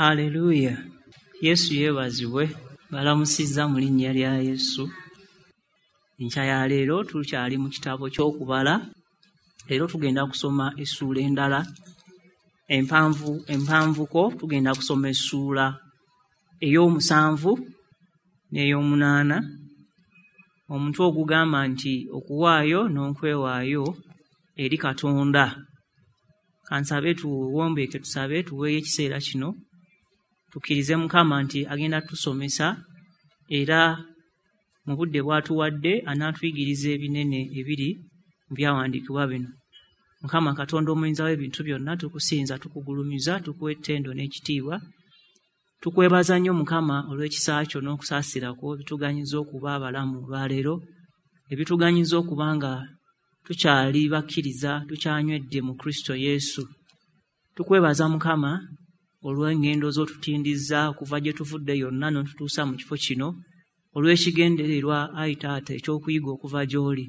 Haleluya! Yesu yeebazibwe. Balamusizza mu linnya lya Yesu. Enkya ya leero tukyali mu kitabo ky'okubala. Leero tugenda kusoma essuula endala empanvu empanvuko. Tugenda kusoma essuula ey'omusanvu n'ey'omunaana. Omutwe ogugamba nti okuwaayo n'okwewaayo eri Katonda. Kansabe tuwombeeke tusabe tuweeyo ekiseera kino tukkirize Mukama nti agenda tusomesa era mu budde bw'atuwadde anaatuyigiriza ebinene ebiri mu byawandiikibwa bino. Mukama Katonda omuyinza w'ebintu byonna, tukusinza, tukugulumiza, tukuwa ettendo n'ekitiibwa. Tukwebaza nnyo Mukama olw'ekisa kyo n'okusaasira kwo ebituganyiza okuba abalamu olwaleero, ebituganyiza okuba nga tukyali bakkiriza, tukyanywedde mu Kristo Yesu. Tukwebaza Mukama olw'engendo z'otutindizza okuva gye tuvudde yonna n'otutuusa mu kifo kino, olw'ekigendererwa ayi Taata eky'okuyiga okuva gy'oli.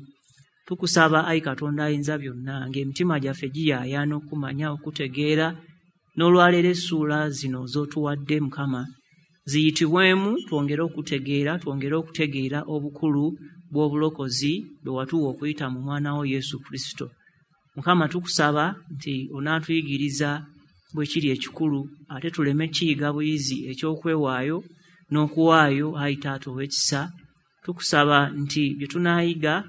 Tukusaba ayi Katonda ayinza byonna ng'emitima gyaffe giyaayaana okumanya, okutegeera, n'olwaleero essuula zino z'otuwadde Mukama ziyitibwemu twongere okutegeera, twongere okutegeera obukulu bw'obulokozi bwe watuwa okuyita mu mwana wo Yesu Kristo. Mukama tukusaba nti onaatuyigiriza bwe kiri ekikulu, ate tuleme kiyiga buyizi eky'okwewaayo n'okuwaayo ayi Taata ow'ekisa. Tukusaba nti bye tunaayiga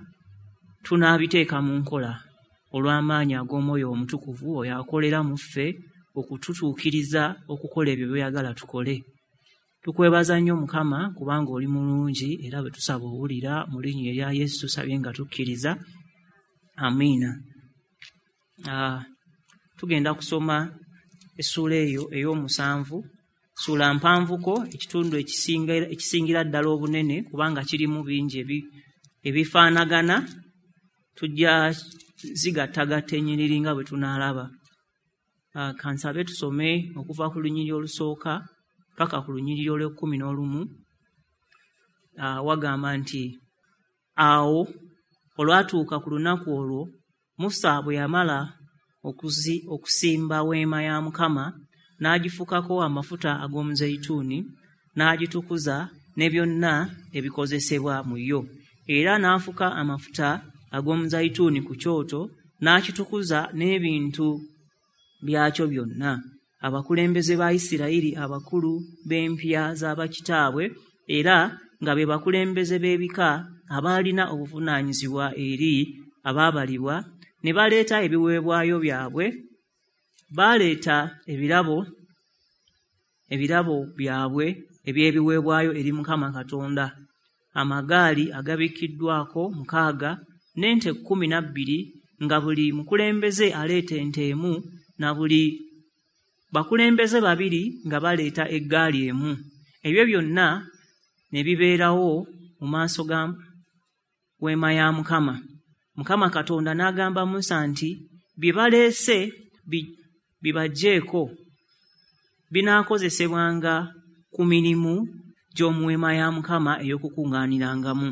tunaabiteeka mu nkola olw'amaanyi ag'Omwoyo Omutukuvu oyo akolera mu ffe okututuukiriza okukola ebyo by'oyagala tukole. Tukwebaza nnyo Mukama kubanga oli mulungi era bwe tusaba owulira. Mu linnya erya Yesu tusabye nga tukkiriza, amiina. Tugenda kusoma essuula eyo ey'omusanvu, ssuula mpanvuko, ekitundu ekisingira ddala obunene kubanga kirimu bingi ebifaanagana. Tujja zigattagatta ennyiriri nga bwe tunaalaba. Kansabe tusome okuva ku lunyiriri olusooka paka ku lunyiriri olw'ekkumi n'olumu. Wagamba nti awo olwatuuka ku lunaku olwo Musa bwe yamala okusimba weema ya Mukama, n'agifukako amafuta ag'omuzeyituuni, n'agitukuza ne byonna ebikozesebwa mu yo. Era n'afuka amafuta ag'omuzeyituuni ku kyoto, n'akitukuza n'ebintu byakyo byonna. Abakulembeze ba Isirayiri, abakulu b'empya z'abakitaabwe, era nga be bakulembeze b'ebika abaalina obuvunaanyizibwa eri abaabalibwa, ne baleeta ebiweebwayo byabwe. Baaleeta ebirabo byabwe eby'ebiweebwayo eri Mukama Katonda, amagaali agabikkiddwako 6 n'ente 12, nga buli mukulembeze aleeta ente emu, na buli bakulembeze 2 nga baleeta eggaali emu. Ebyo byonna ne bibeerawo mu maaso ga weema ya Mukama. Mukama Katonda n'agamba Musa nti bye baleese bibaggyeeko binaakozesebwanga ku mirimu gy'omu weema ya Mukama ey'okukuŋŋaanirangamu.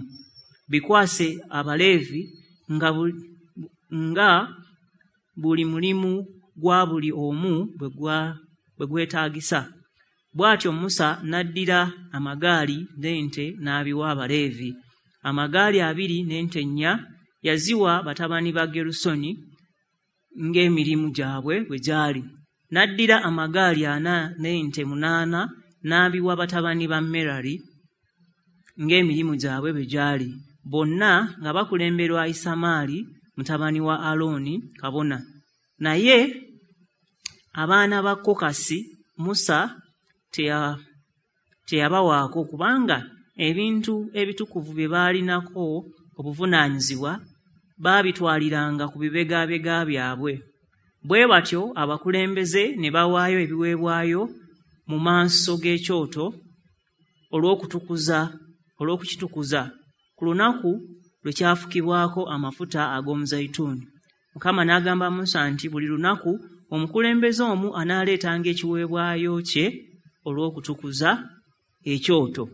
Bikwase Abaleevi nga buli mulimu gwa buli omu bwe gwetaagisa. Bw'atyo Musa n'addira amagaali n'ente n'abiwa Abaleevi. Amagaali 2 n'ente 4 yaziwa batabani ba Gerusoni ng'emirimu gyabwe bwe gyali. N'addira amagaali 4 n'ente 8 n'abiwa batabani ba Merari ng'emirimu gyabwe bwe gyali. Bonna nga bakulemberwa Isamaali mutabani wa Alooni kabona. Naye abaana ba Kokasi Musa teyabawaako, kubanga ebintu ebitukuvu bye baalinako obuvunaanyizibwa baabitwaliranga ku bibegabega byabwe. Bwe batyo abakulembeze ne bawaayo ebiweebwayo mu maaso g'ekyoto olw'okukitukuza ku lunaku lwe kyafukibwako amafuta ag'omuzeyituuni. Mukama n'agamba Musa nti buli lunaku omukulembeze omu anaaleetanga ekiweebwayo kye olw'okutukuza ekyoto.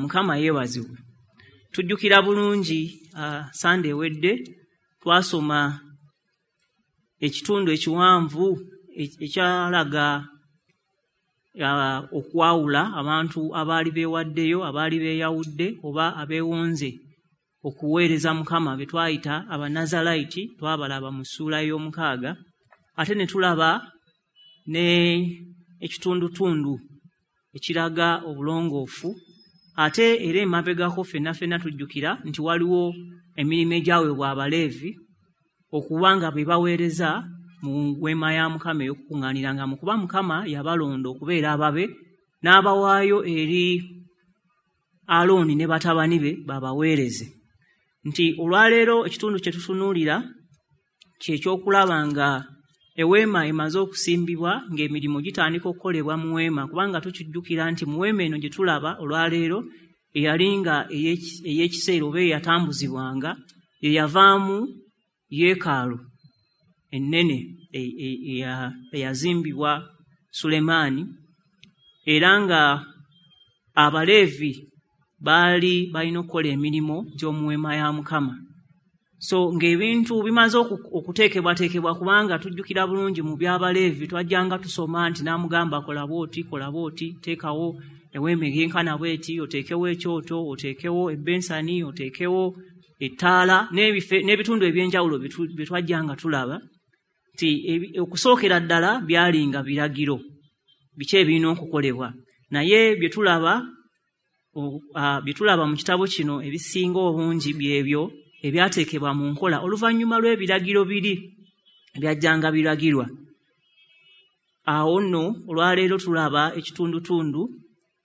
Mukama yeebazibwe. Tujjukira bulungi Sande ewedde twasoma ekitundu ekiwanvu ekyalaga okwawula abantu abaali beewaddeyo, abaali beeyawudde oba abeewonze okuweereza Mukama be twayita Abanazalaiti, twabalaba mu ssuula ey'omukaaga. Ate ne tulaba ne ekitundutundu ekiraga obulongoofu. Ate era emabegako ffenna ffenna tujjukira nti waliwo emirimu egyaweebwa Abaleevi okuba nga be baweereza mu weema ya Mukama ey'okukuŋŋaanirangamu, kuba Mukama yabalonda okubeera ababe n'abawaayo eri Alooni ne batabani be babaweereze. Nti olwaleero ekitundu kye tutunuulira kye ky'okulaba nga eweema emaze okusimbibwa, ng'emirimu gitandika okukolebwa mu weema, kubanga tukijjukira nti mu weema eno gye tulaba olwaleero eyali nga ey'ekiseera oba eyatambuzibwanga ye yavaamu yeekaalu ennene eyazimbibwa Sulemaani, era nga Abaleevi baali balina okukola emirimu gy'omu weema ya Mukama. So ng'ebintu bimaze okuteekebwateekebwa, kubanga tujjukira bulungi mu by'Abaleevi twajjanga tusoma nti n'amugamba kola bw'oti, kola bw'oti, teekawo eweema eyenkana bw'eti, oteekewo ekyoto, oteekewo ebbensani, oteekewo ettaala n'ebitundu eby'enjawulo bye twajjanga tulaba nti okusookera ddala byalinga biragiro biki ebirina okukolebwa. Naye bye tulaba mu kitabo kino ebisinga obungi byebyo ebyateekebwa mu nkola oluvannyuma lw'ebiragiro biri ebyajjanga biragirwa. Awo nno olwaleero tulaba ekitundutundu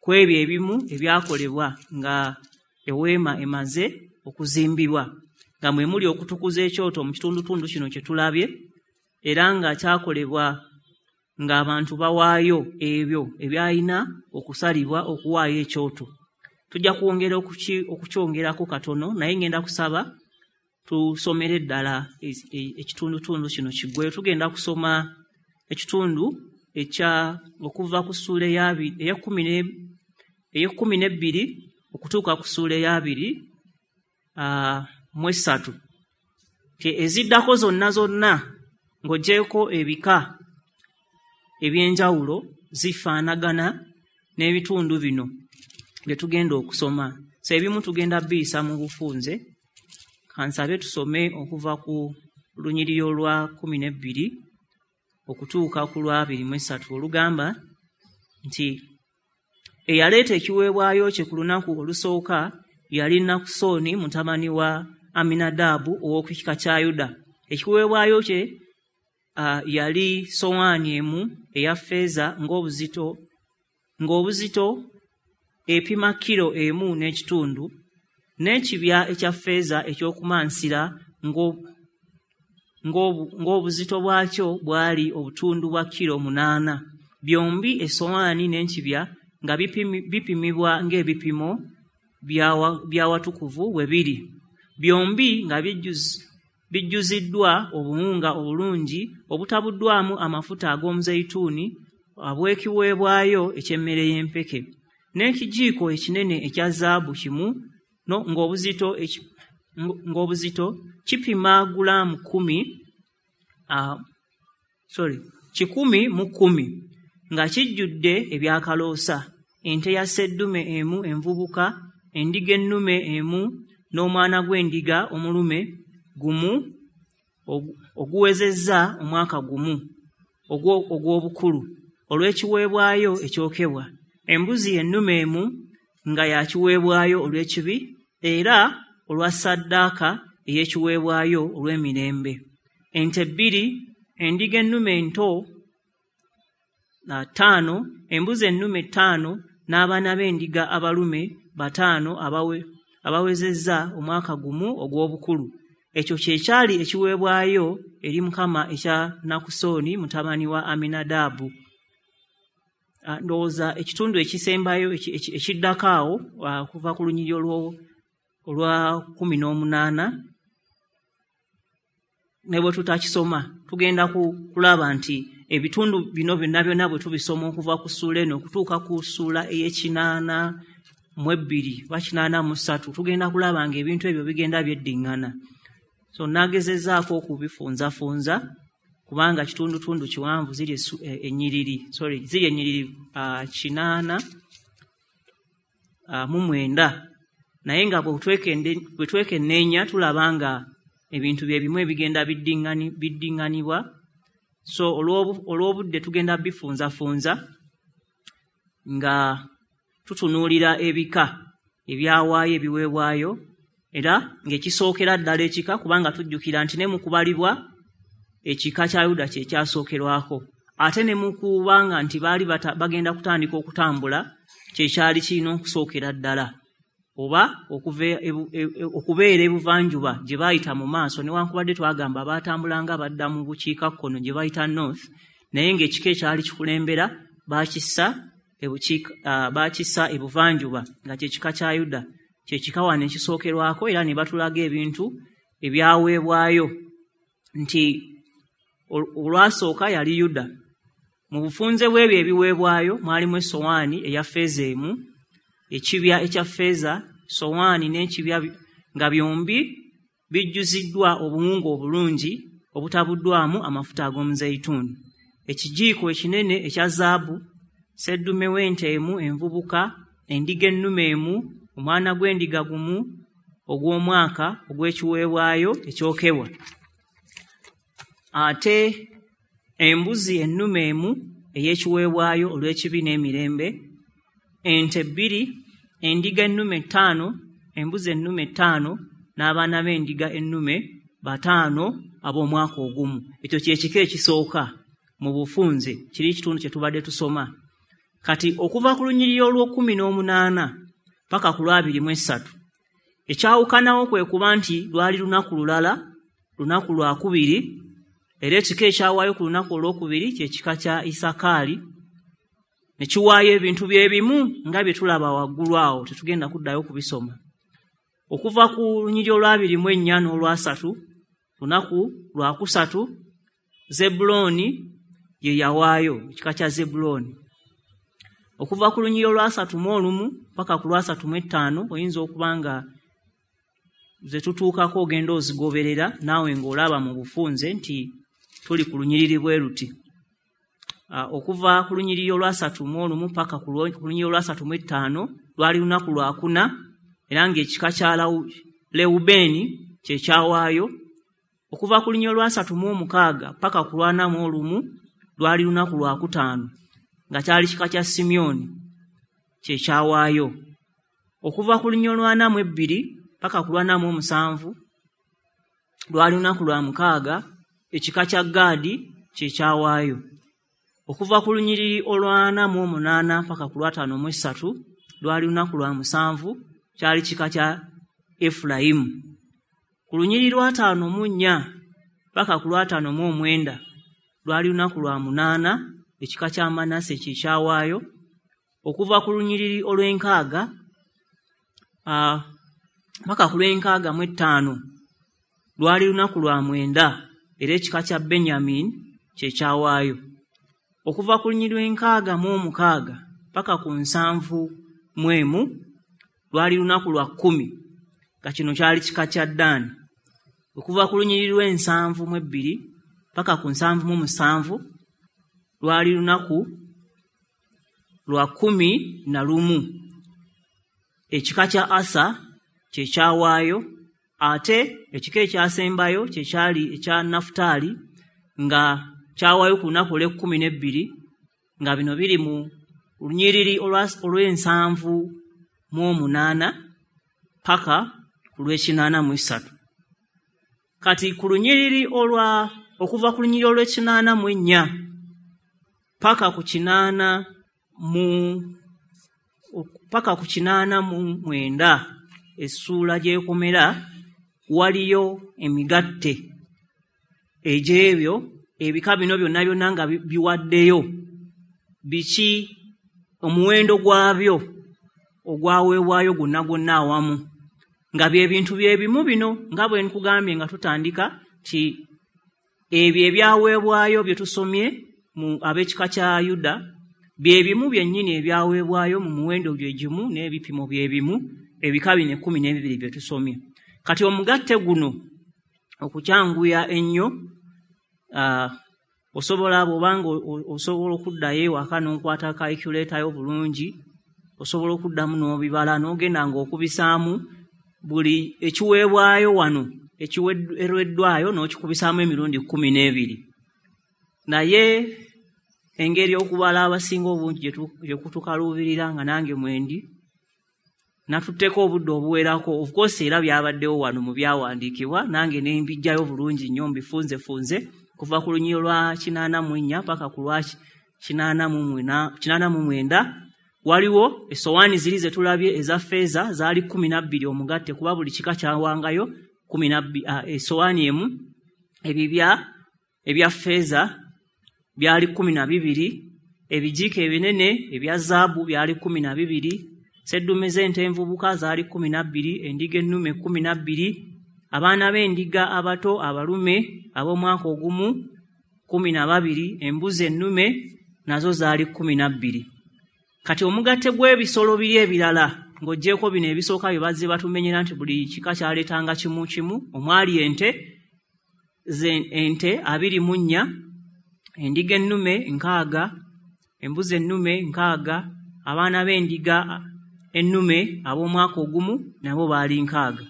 ku ebyo ebimu ebyakolebwa nga eweema emaze okuzimbibwa, nga mwe muli okutukuza ekyoto mu kitundutundu kino kye tulabye, era nga kyakolebwa ng'abantu bawaayo ebyo ebyalina okusalibwa okuwaayo ekyoto. Tujja kwongera okukyongerako katono, naye ngenda kusaba tusomere ddala ekitundutundu kino kiggweyo. Tugenda kusoma ekitundu ekya okuva ku ssuula ey'ekkumi n'ebbiri okutuuka ku ssuula ey'abiri mu esatu. Eziddako zonna zonna ng'oggyeeko ebika eby'enjawulo zifaanagana n'ebitundu bino bye tugenda okusoma. So ebimu tugenda biyisa mu bufunze. Kansabe tusome okuva ku lunyiriri olwa 12 okutuuka ku lwa 23 olugamba nti eyaleeta ekiweebwayo kye ku lunaku olusooka yali Nakusoni mutabani wa Aminadaabu ow'oku kika kya Yuda. Ekiweebwayo kye yali sowaani emu eya ffeeza ng'obuzito epima kilo 1.5, n'ekibya ekya ffeeza eky'okumansira ng'obuzito bwakyo bwali obutundu bwa kilo 8. Byombi essowaani n'ekibya nga bipimibwa ng'ebipimo by'awatukuvu bwe biri, byombi nga bijjuziddwa obuwunga obulungi obutabuddwamu amafuta ag'omuzeyituuni obw'ekiweebwayo eky'emmere y'empeke, n'ekijiiko ekinene ekya zaabu kimu ng'obuzito kipima gulaamu 110 nga kijjudde ebyakaloosa, ente ya sseddume emu envubuka, endiga ennume emu n'omwana gw'endiga omulume gumu oguwezezza omwaka gumu ogw'obukulu olw'ekiweebwayo ekyokebwa, embuzi ennume emu nga ya kiweebwayo olw'ekibi era olwa ssaddaaka ey'ekiweebwayo olw'emirembe, ente 2, endiga ennume ento 5, embuzi ennume 5 n'abaana b'endiga abalume 5 abawezezza omwaka gumu ogw'obukulu. Ekyo kye kyali ekiweebwayo eri Mukama ekya Nakusoni mutabani wa Aminadaabu. Ndowooza ekitundu ekisembayo ekiddako awo okuva ku lunyiriri olwa 18 ne bwe tutakisoma tugenda kulaba nti ebitundu bino byonna byonna bwe tubisoma okuva ku ssuula eno okutuuka ku ssuula ey'e-82 oba 83 tugenda kulaba ng'ebintu ebyo bigenda byeddiŋŋana. So naagezezzaako okubifunzafunza kubanga kitundutundu kiwanvu, ziri ennyiriri ziri ennyiriri 89, naye nga bwe twekenneenya tulaba nga ebintu bye bimu ebigenda biddiŋŋanibwa. So olw'obudde tugenda bifunzafunza nga tutunuulira ebika ebyawaayo ebiweebwayo, era ng'ekisookera ddala ekika, kubanga tujjukira nti ne mu kubalibwa ekika kya Yuda kye kyasookerwako, ate ne mu kubanga nti baali bagenda kutandika okutambula kye kyali kirina okusookera ddala, oba okubeera ebuvanjuba gye baayita mu maaso. Newankubadde twagamba baatambulanga badda mu bukiikakkono gye bayita north, naye ng'ekika ekyali kikulembera baakissa ebuvanjuba nga kye kika kya Yuda, kye kika wano ekisookerwako. Era ne batulaga ebintu ebyaweebwayo nti olwasooka yali Yuda. Mu bufunze bw'ebyo ebiweebwayo mwalimu essowaani eya ffeeza emu, ekibya ekya ffeeza, sowaani n'ekibya nga byombi bijjuziddwa obuwunga obulungi obutabuddwamu amafuta ag'omuzeyituuni, ekijiiko ekinene ekya zaabu, sseddume w'ente emu envubuka, endiga ennume emu, omwana gw'endiga gumu ogw'omwaka ogw'ekiweebwayo ekyokebwa, ate embuzi ennume emu ey'ekiweebwayo olw'ekibi n'emirembe, ente 2, endiga ennume 5, embuzi ennume 5, n'abaana b'endiga ennume 5 ab'omwaka ogumu. Ekyo kye kika ekisooka mu bufunze, kiri ekitundu kye tubadde tusoma. Kati okuva ku lunyiriri olw'18 paka ku lwa23, ekyawukanawo kwe kuba nti lwali lunaku lulala, lunaku lwakubiri, era ekika ekyawaayo ku lunaku olwokubiri kye kika kya Isakaali, ne kiwaayo ebintu bye bimu nga bye tulaba waggulu awo, tetugenda kuddayo kubisoma. Okuva ku lunyiriri olwa24 n'olwasatu, lunaku lwakusatu, Zebbulooni ye yawaayo, ekika kya Zebbulooni. Okuva ku lunyiriri olwa31 paka ku lwa35, oyinza okuba nga ze tutuukako ogenda ozigoberera naawe ng'olaba mu bufunze nti tuli ku lunyiriri bwe luti. Okuva ku lunyiriri olwa31 paka ku lunyiriri olwa35 lwali lunaku lwakuna, era ng'ekika kya Lewubeeni kye kyawaayo. Okuva ku lunyiriri olwa36 paka ku lwa41 lwali lunaku lwakutaano, nga kyali kika kya Simyoni kye kyawaayo. Okuva ku lunyiriri olwa42 paka ku lwa47 lwali lunaku lwa mukaaga, ekika kya Gaadi kye kyawaayo. Okuva ku lunyiriri olwa48 paka ku lwa53 lwali lunaku lwa 7, kyali kika kya Efulayimu. Ku lunyiriri lwa54 paka ku lwa59 lwali lunaku lwa 8, ekika kya Manase kye kyawaayo. Okuva ku lunyiriri olw'enkaaga paka ku lw'enkaga mu 5 lwali lunaku lwa 9, era ekika kya Benyamini kye kyawaayo. Okuva ku lunyiriri lw'enkaga mu 6 paka ku 71 lwali lunaku lwa 10, nga kino kyali kika kya Ddaani. Okuva ku lunyiriri lw'ensanvu mu 2 paka ku 77 lwali lunaku lwa 11, ekika kya Asa kye kyawaayo. Ate ekika ekyasembayo kye kyali ekya Nafutaali, nga kyawaayo ku lunaku olw'e12, nga bino biri mu lunyiriri olw'ensanvu mu 8 paka ku lw'e83. Kati ku lunyiriri okuva ku lunyiriri olw'e84 paka ku 89 essuula gy'ekomera, waliyo emigatte egy'ebyo ebika bino byonna byonna nga biwaddeyo biki, omuwendo gwabyo ogwaweebwayo gwonna gwonna awamu, nga bye bintu bye bimu bino nga bwe nkugambye nga tutandika nti ebyo ebyaweebwayo bye tusomye mu ab'ekika kya Yuda bye bimu byennyini ebyaweebwayo mu muwendo gye gimu n'ebipimo bye bimu ebika bino 12 bye tusomye. Kati omugatte guno okukyanguya ennyo, Osobola bw'obanga osobola okuddayo ewaka n'okwata calculator yo bulungi, osobola okuddamu n'obibala n'ogenda ng'okubisaamu buli ekiweebwayo wano ekiweereddwayo n'okikubisaamu emirundi 12. Naye engeri okubala abasinga obungi gye kutukaluubirira nga nange mwendi, natutteko obudde obuwerako. Of course era byabaddewo wano mu byawandiikibwa, nange ne mbijjayo bulungi nnyo mbifunzefunze kuva ku lunyiriri lwa 84 paka ku lwa 89. Waliwo essowaani ziri ze tulabye eza ffeeza zaali 12 omugatte, kuba buli kika kyawangayo 12, essowaani emu. Ebibya ebya ffeeza byali 12, ebijiiko ebinene ebya zaabu byali 12, seddume z'ente envubuka zaali 12, endiga ennume 12, abaana b'endiga abato abalume ab'omwaka ogumu 12, embuzi ennume nazo zaali 12. Kati omugatte gw'ebisolo biri ebirala ng'oggyeeko bino ebisooka bye bazze batumenyera nti buli kika kyaleetanga kimu kimu, omwali ente 24, endiga ennume 60, embuzi ennume 60, abaana b'endiga ennume ab'omwaka ogumu nabo baali 60.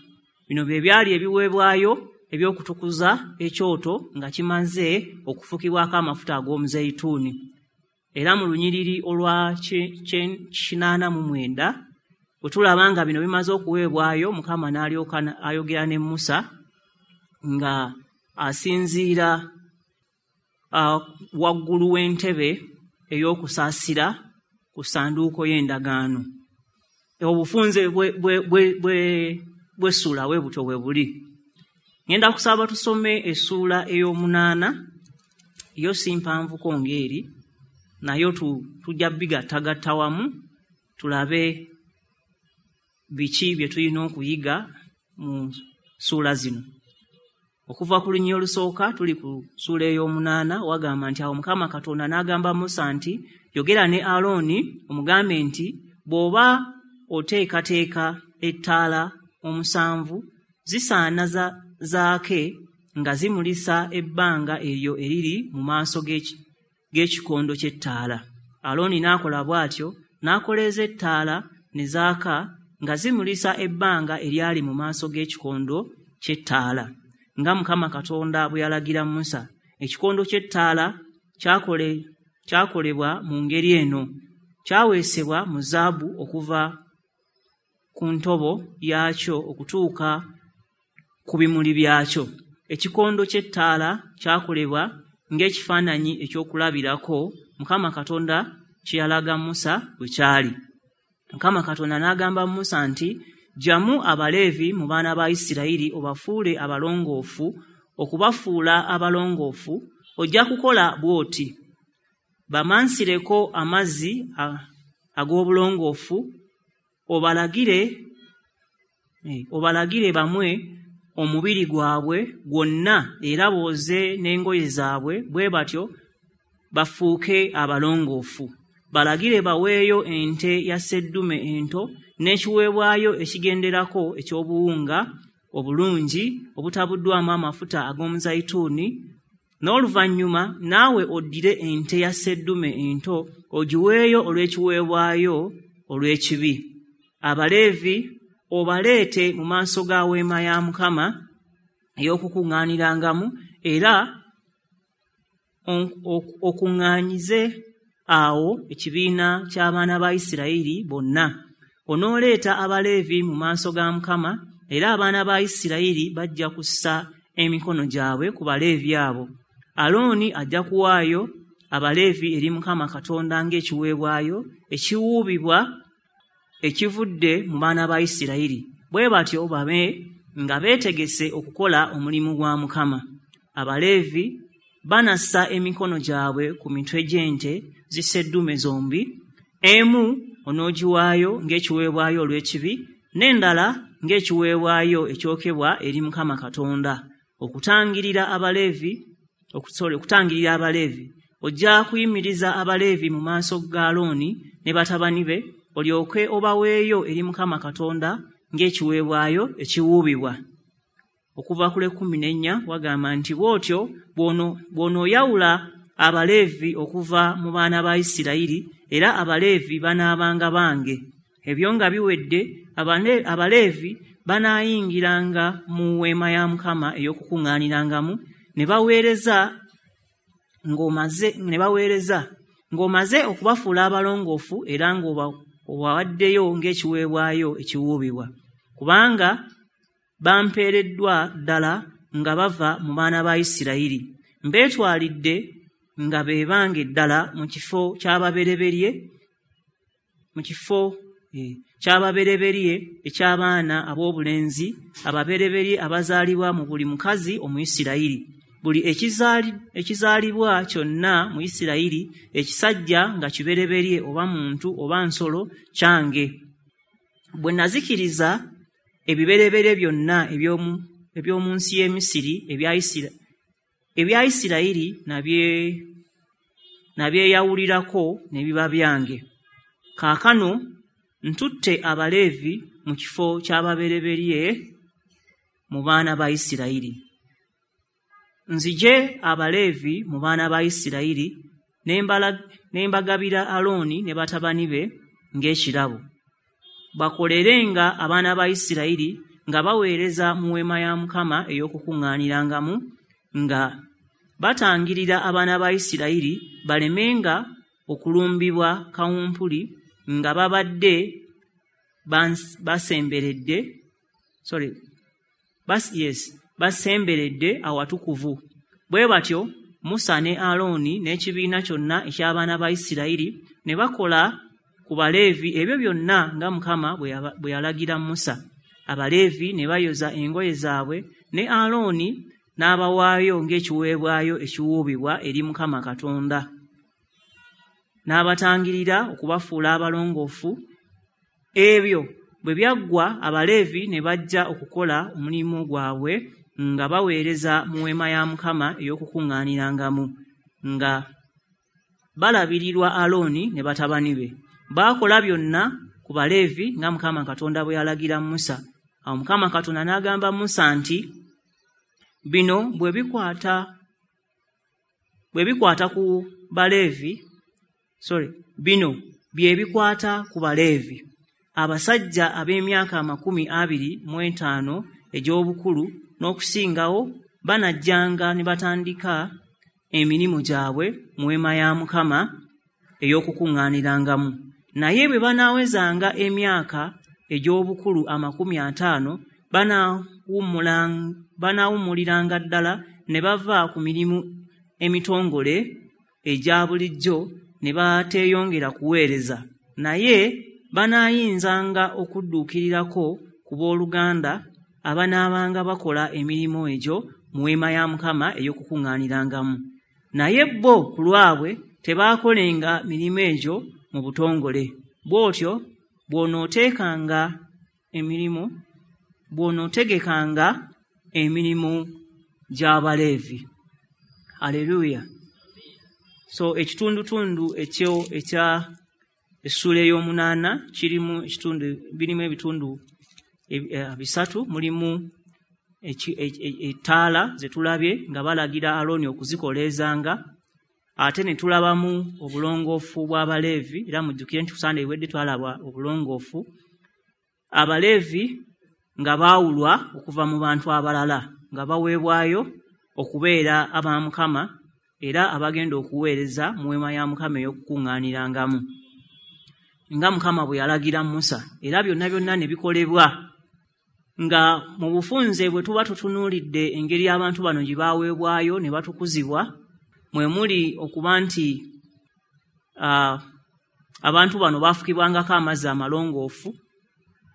Bino bye byali ebiweebwayo eby'okutukuza ekyoto nga kimaze okufukibwako amafuta ag'omuzeyituuni. Era mu lunyiriri olwa 89 bwe tulaba nga bino bimaze okuweebwayo, Mukama n'alyoka ayogera ne Musa nga asinziira waggulu w'entebe ey'okusaasira ku ssanduuko y'endagaano. Obufunze bw'essuula bwe butyo bwe buli. Ngenda kusaba tusome essuula ey'omunaana, yo si mpanvuko ng'eri, nayo tujja bigattagatta wamu tulabe biki bye tulina okuyiga mu ssuula zino. Okuva ku lunyiriri olusooka tuli ku ssuula ey'omunaana, wagamba nti awo Mukama Katonda n'agamba Musa nti, yogera ne Alooni omugambe nti bw'oba oteekateeka ettaala 7 zisaana zaake nga zimulisa ebbanga eryo eriri mu maaso g'ekikondo ky'ettaala. Alooni n'akola bw'atyo, n'akoleeza ettaala ne zaaka nga zimulisa ebbanga eryali mu maaso g'ekikondo ky'ettaala, nga Mukama Katonda bwe yalagira Musa. Ekikondo ky'ettaala kyakolebwa mu ngeri eno: kyaweesebwa mu zaabu okuva ku ntobo yaakyo okutuuka ku bimuli byakyo. Ekikondo ky'ettaala kyakolebwa ng'ekifaananyi ekyokulabirako Mukama Katonda kye yalaga Musa bwe kyali. Mukama Katonda n'agamba Musa nti, ggyamu Abaleevi mu baana ba Isirayiri obafuule abalongoofu. Okubafuula abalongoofu ojja kukola bw'oti: bamansireko amazzi ag'obulongoofu, obalagire bamwe omubiri gwabwe gwonna era booze n'engoye zaabwe, bwe batyo bafuuke abalongoofu. Balagire baweeyo ente ya sseddume ento n'ekiweebwayo ekigenderako eky'obuwunga obulungi obutabuddwamu amafuta ag'omuzayituuni. N'oluvannyuma naawe oddire ente ya sseddume ento ogiweeyo olw'ekiweebwayo olw'ekibi. Abaleevi obaleete mu maaso ga weema ya Mukama ey'okukuŋŋaanirangamu, era okuŋŋaanyize awo ekibiina ky'abaana ba Isirayiri bonna. Onooleeta Abaleevi mu maaso ga Mukama, era abaana ba Isirayiri bajja kussa emikono gyabwe ku Baleevi abo. Alooni ajja kuwaayo Abaleevi eri Mukama Katonda ng'ekiweebwayo ekiwuubibwa ekivudde mu baana ba Isirayiri, bwe batyo babe nga beetegese okukola omulimu gwa Mukama. Abaleevi banassa emikono gyabwe ku mitwe gy'ente zisseddume zombi, emu onoogiwaayo ng'ekiweebwayo olw'ekibi, n'endala ng'ekiweebwayo ekyokebwa eri Mukama Katonda, okutangirira Abaleevi. Ojja kuyimiriza Abaleevi mu maaso ga Alooni ne batabani be, olyoke obaweeyo eri Mukama Katonda ng'ekiweebwayo ekiwuubibwa. Okuva ku lw'ekkumi n'ennya wagamba nti bw'otyo bw'onooyawula Abaleevi okuva mu baana ba Isirayiri, era Abaleevi banaabanga bange. Ebyo nga biwedde, Abaleevi banaayingiranga mu weema ya Mukama ey'okukuŋŋaanirangamu ne baweereza ng'omaze okubafuula abalongoofu era ng'obawaddeyo ng'ekiweebwayo ekiwuubibwa, kubanga bampeereddwa ddala nga bava mu baana ba Isirayiri. Mbeetwalidde nga be bange ddala mu kifo ky'ababereberye eky'abaana ab'obulenzi ababereberye abazaalibwa mu buli mukazi Omuyisirayiri. Buli ekizaalibwa kyonna mu Isirayiri ekisajja nga kibereberye oba muntu oba nsolo kyange. Bwe nazikiriza ebibereberye byonna eby'omu nsi y'e Misiri ebya Isirayiri nabyeyawulirako ne biba byange. Kaakano ntutte Abaleevi mu kifo ky'ababereberye mu baana ba Isirayiri. Nzije Abaleevi mu baana ba Isirayiri ne mbagabira Alooni ne batabani be ng'ekirabo. Bakolerenga abaana ba Isirayiri nga baweereza mu weema ya Mukama ey'okukuŋŋaanirangamu, nga batangirira abaana ba Isirayiri balemenga okulumbibwa kawumpuli nga babadde basemberedde awatukuvu. Bwe batyo Musa ne Alooni n'ekibiina kyonna eky'abaana ba Isirayiri ne bakola ku Baleevi ebyo byonna nga Mukama bwe yalagira Musa. Abaleevi ne bayoza engoye zaabwe ne Alooni n'abawaayo ng'ekiweebwayo ekiwuubibwa eri Mukama Katonda, n'abatangirira okubafuula abalongoofu. Ebyo bwe byaggwa, Abaleevi ne bajja okukola omulimu gwabwe nga baweereza mu weema ya Mukama ey'okukuŋŋaanirangamu, nga balabirirwa Alooni ne batabani be. Baakola byonna ku Baleevi nga Mukama Katonda bwe yalagira Musa. Awo Mukama Katonda n'agamba Musa nti, bino bwe bikwata ku Baleevi, bino bye bikwata ku Baleevi, abasajja ab'emyaka 25 egy'obukulu n'okusingawo banajjanga ne batandika emirimu gyabwe mu weema ya Mukama ey'okukuŋŋaanirangamu. Naye bwe banaawezanga emyaka egy'obukulu 50 banaawummuliranga ddala ne bava ku mirimu emitongole egya bulijjo ne bateeyongera kuweereza. Naye banaayinzanga okudduukirirako ku booluganda abanaabanga bakola emirimu egyo mu weema ya Mukama ey'okukuŋŋaanirangamu. Naye bo ku lwabwe tebaakolenga mirimu egyo mu butongole. Bw'otyo bw'onootegekanga emirimu gy'Abaleevi. Aleluya. So ekitundutundu ekyo ekya essuula ey'omunaana kirimu ekitundu, birimu ebitundu bisatu. Mulimu ettaala ze tulabye nga balagira Alooni okuzikoleezanga, ate ne tulabamu obulongoofu bw'Abaleevi. Era mujjukire nti ku Sande ewedde twalaba obulongoofu, Abaleevi nga baawulwa okuva mu bantu abalala, nga baweebwayo okubeera aba Mukama era abagenda okuweereza mu weema ya Mukama ey'okukuŋŋaanirangamu, nga Mukama bwe yalagira Musa. Era byonna byonna ne bikolebwa nga mu bufunze bwe tuba tutunuulidde engeri abantu bano gye baaweebwayo ne batukuzibwa, mwe muli okuba nti abantu bano baafukibwangako amazzi amalongoofu,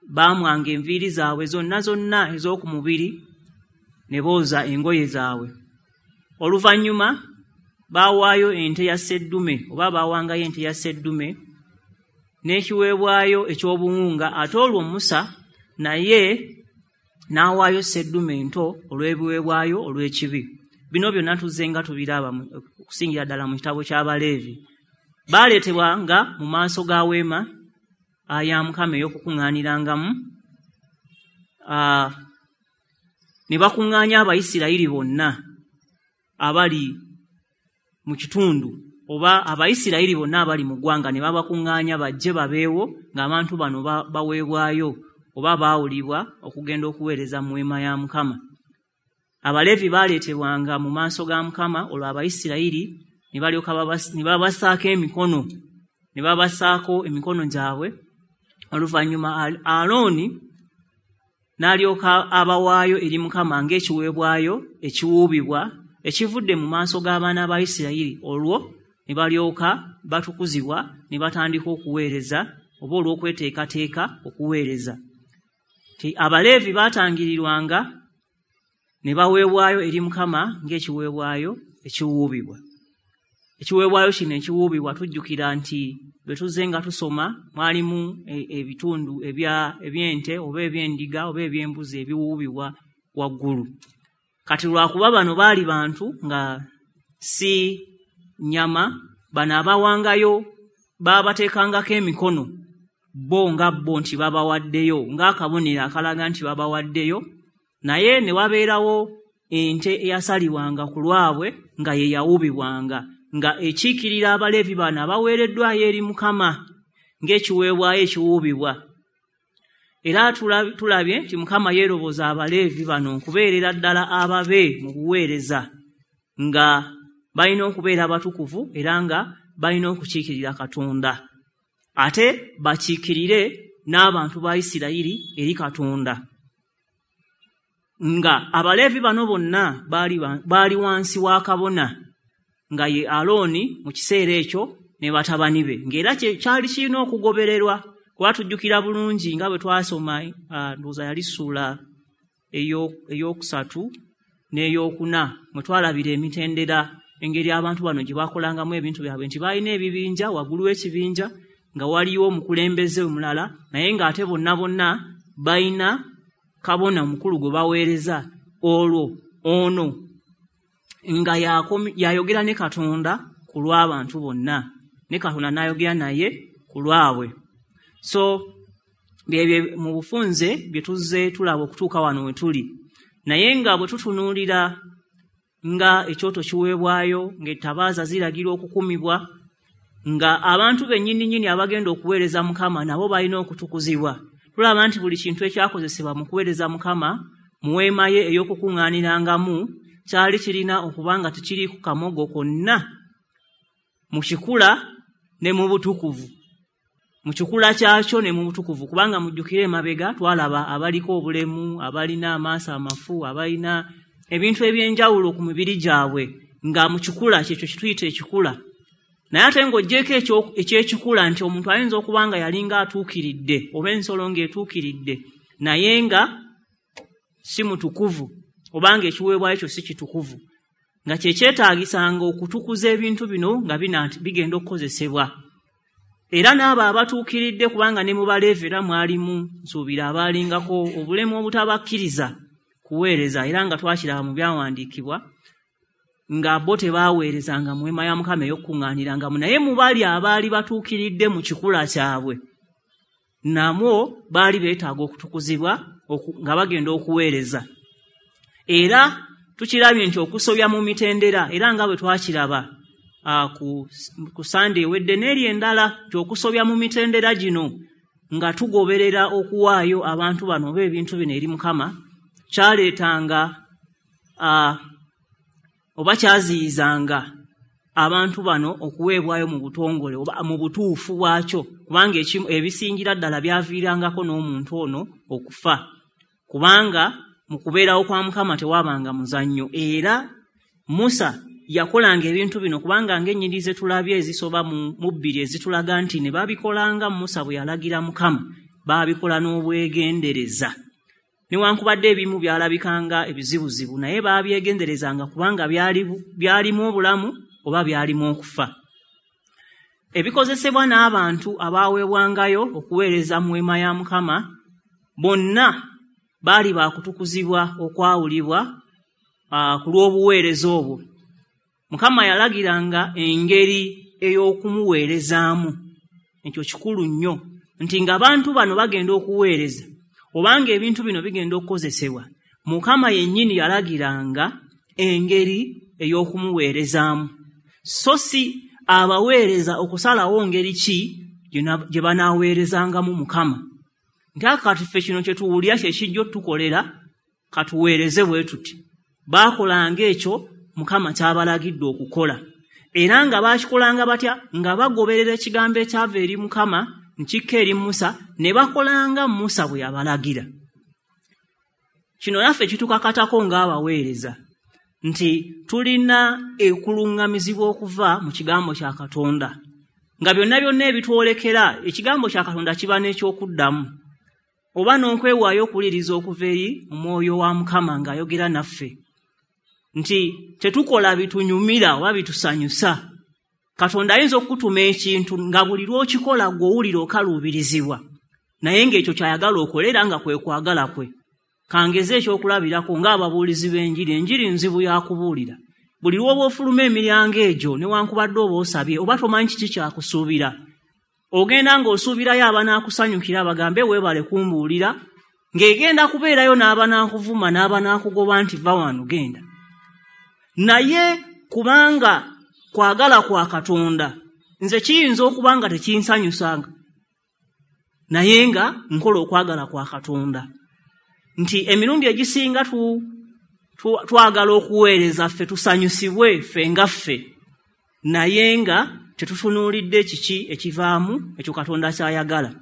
baamwanga enviiri zaabwe zonna zonna ez'oku mubiri ne booza engoye zaabwe. Oluvannyuma baawaayo ente ya sseddume oba baawangayo ente ya sseddume n'ekiweebwayo eky'obuwunga, ate olwo Musa naye n'awaayo sseddume ento olw'ebiweebwayo olw'ekibi. Bino byonna tuzze nga tubiraba okusingira ddala mu kitabo ky'Abaleevi. Baaleetebwanga mu maaso ga weema ya Mukama ey'okukuŋŋaanirangamu, ne bakuŋŋaanya Abayisirayiri bonna abali mu kitundu oba Abayisirayiri bonna abali mu ggwanga ne babakuŋŋaanya bajje babeewo ng'abantu bano baweebwayo oba baawulibwa okugenda okuweereza mu weema ya Mukama. Abaleevi baaleetebwanga mu maaso ga Mukama, olwo Abayisirayiri ne balyoka ne babassaako emikono, ne babassaako emikono gyabwe. Oluvannyuma Alooni n'alyoka abawaayo eri Mukama ng'ekiweebwayo ekiwuubibwa ekivudde mu maaso g'abaana ba Isirayiri, olwo ne balyoka batukuzibwa ne batandika okuweereza oba olw'okweteekateeka okuweereza. Abaleevi baatangirirwanga ne baweebwayo eri Mukama ng'ekiweebwayo ekiwuubibwa. Ekiweebwayo kino ekiwuubibwa tujjukira nti bwe tuzze nga tusoma mwalimu ebitundu eby'ente oba eby'endiga oba eby'embuzi ebiwuubibwa waggulu. Kati lwakuba bano baali bantu nga si nnyama, bano abawangayo baabateekangako emikono bo nga bo nti babawaddeyo, ng'akabonero akalaga nti babawaddeyo, naye ne wabeerawo ente eyasalibwanga ku lwabwe nga ye yawuubibwanga, nga ekiikirira Abaleevi bano abaweereddwayo eri Mukama ng'ekiweebwayo ekiwuubibwa. Era tulabye nti Mukama yeeroboza Abaleevi bano okubeerera ddala ababe mu buweereza, nga balina okubeera abatukuvu era nga balina okukiikirira Katonda, ate bakiikirire n'abantu ba Isirayiri eri Katonda. Nga Abaleevi bano bonna baali wansi wa kabona nga ye Alooni mu kiseera ekyo ne batabani be, ng'era kyali kirina okugobererwa, kuba tujjukira bulungi nga bwe twasoma ndowooza yali ssuula ey'okusatu n'ey'okuna mwe twalabira emitendera engeri abantu bano gye bakolangamu ebintu byabwe, nti balina ebibinja, waggulu w'ekibinja nga waliwo omukulembeze omulala, naye ng'ate bonna bonna balina kabona omukulu gwe baweereza. Olwo ono nga yayogera ne Katonda ku lw'abantu bonna, ne Katonda n'ayogera naye ku lwabwe. So byebyo mu bufunze bye tuzze tulaba okutuuka wano we tuli. Naye nga bwe tutunuulira nga ekyoto kiweebwayo, ng'ettabaaza ziragirwa okukumibwa, nga abantu bennyini nnyini abagenda okuweereza Mukama nabo balina okutukuzibwa, tulaba nti buli kintu ekyakozesebwa mu kuweereza Mukama mu weema ye ey'okukuŋŋaanirangamu kyali kirina okuba nga tekiri ku kamogo konna mu kikula ne mu butukuvu, mu kikula kyakyo ne mu butukuvu. Kubanga mujjukire emabega twalaba abaliko obulemu, abalina amaaso amafu, abalina ebintu eby'enjawulo ku mibiri gyabwe, nga mu kikula kyekyo kituyita ekikula. Naye ate ng'oggyeko eky'ekikula nti omuntu ayinza okuba nga yalinga atuukiridde oba ensolo ng'etuukiridde, naye nga si mutukuvu, oba ng'ekiweebwayo ekyo si kitukuvu, nga kye kyetaagisanga okutukuza ebintu bino nga bigenda okukozesebwa. Era n'abo abatuukiridde, kubanga ne mu Baleevi era mwalimu nsuubira abaalingako obulemu obutabakkiriza kuweereza, era nga twakiraba mu byawandiikibwa nga bo tebaaweerezanga mu weema ya Mukama ey'okukuŋŋaanirangamu, naye mu bali abaali batuukiridde mu kikula kyabwe namwo baali beetaaga okutukuzibwa nga bagenda okuweereza. Era tukirabye nti okusobya mu mitendera, era nga bwe twakiraba ku Sande ewedde n'eri endala, nti okusobya mu mitendera gino nga tugoberera okuwaayo abantu bano oba ebintu bino eri Mukama kyaleetanga oba kyaziyizanga abantu bano okuweebwayo mu butongole oba mu butuufu bwakyo, kubanga ebisingira ddala byaviirangako n'omuntu ono okufa, kubanga mu kubeerawo kwa Mukama tewabanga muzannyo. Era Musa yakolanga ebintu bino, kubanga ng'ennyiriri ze tulabye ezisoba mu bbiri ezitulaga nti ne babikolanga Musa bwe yalagira Mukama, baabikola n'obwegendereza. Newankubadde ebimu byalabikanga ebizibuzibu, naye baabyegenderezanga kubanga byalimu obulamu oba byalimu okufa. Ebikozesebwa n'abantu abaaweebwangayo okuweereza mu weema ya Mukama bonna baali baakutukuzibwa okwawulibwa ku lw'obuweereza obwo. Mukama yalagiranga engeri ey'okumuweerezaamu. Ekyo kikulu nnyo nti ng'abantu bano bagenda okuweereza obanga ebintu bino bigenda okukozesebwa, Mukama yennyini yalagiranga engeri ey'okumuweerezaamu. So si abaweereza okusalawo ngeri ki gye banaaweerezangamu Mukama. Nti kati ffe kino kye tuwulira kye kijja otukolera, katuweereze bwe tuti. Baakolanga ekyo Mukama ky'abalagidde okukola. Era nga baakikolanga batya? Nga bagoberera ekigambo ekyava eri Mukama nkikka eri Musa, ne bakolanga Musa bwe yabalagira. Kino naffe kitukakatako ng'abaweereza nti tulina ekuluŋŋamizibwa okuva mu kigambo kya Katonda. Nga byonna byonna ebitwolekera, ekigambo kya Katonda kiba n'ekyokuddamu oba n'okwewaayo okuwuliriza okuva eri omwoyo wa Mukama ng'ayogera naffe. Nti tetukola bitunyumira oba bitusanyusa. Katonda ayinza okukutuma ekintu nga buli lw'okikola gw'owulira okaluubirizibwa, naye ng'ekyo ky'ayagala okole era nga kwe kwagala kwe. Kangeze ekyokulabirako ng'ababuulizi b'enjiri, enjiri nzibu ya kubuulira. Buli lw'oba ofuluma emiryango egyo newankubadde oba osabye oba tomanyi kiki kyakusuubira, ogenda ng'osuubirayo abanaakusanyukira bagambe weebale kumbuulira, ng'egenda kubeerayo n'abanaakuvuma n'abanaakugoba nti va wano genda. Naye kubanga kwagala kwa Katonda, nze kiyinza okuba nga tekinsanyusanga, naye nga nkola okwagala kwa Katonda. Nti emirundi egisinga twagala okuweereza ffe tusanyusibwe ffe nga ffe, naye nga tetutunuulidde kiki ekivaamu ekyo Katonda ky'ayagala.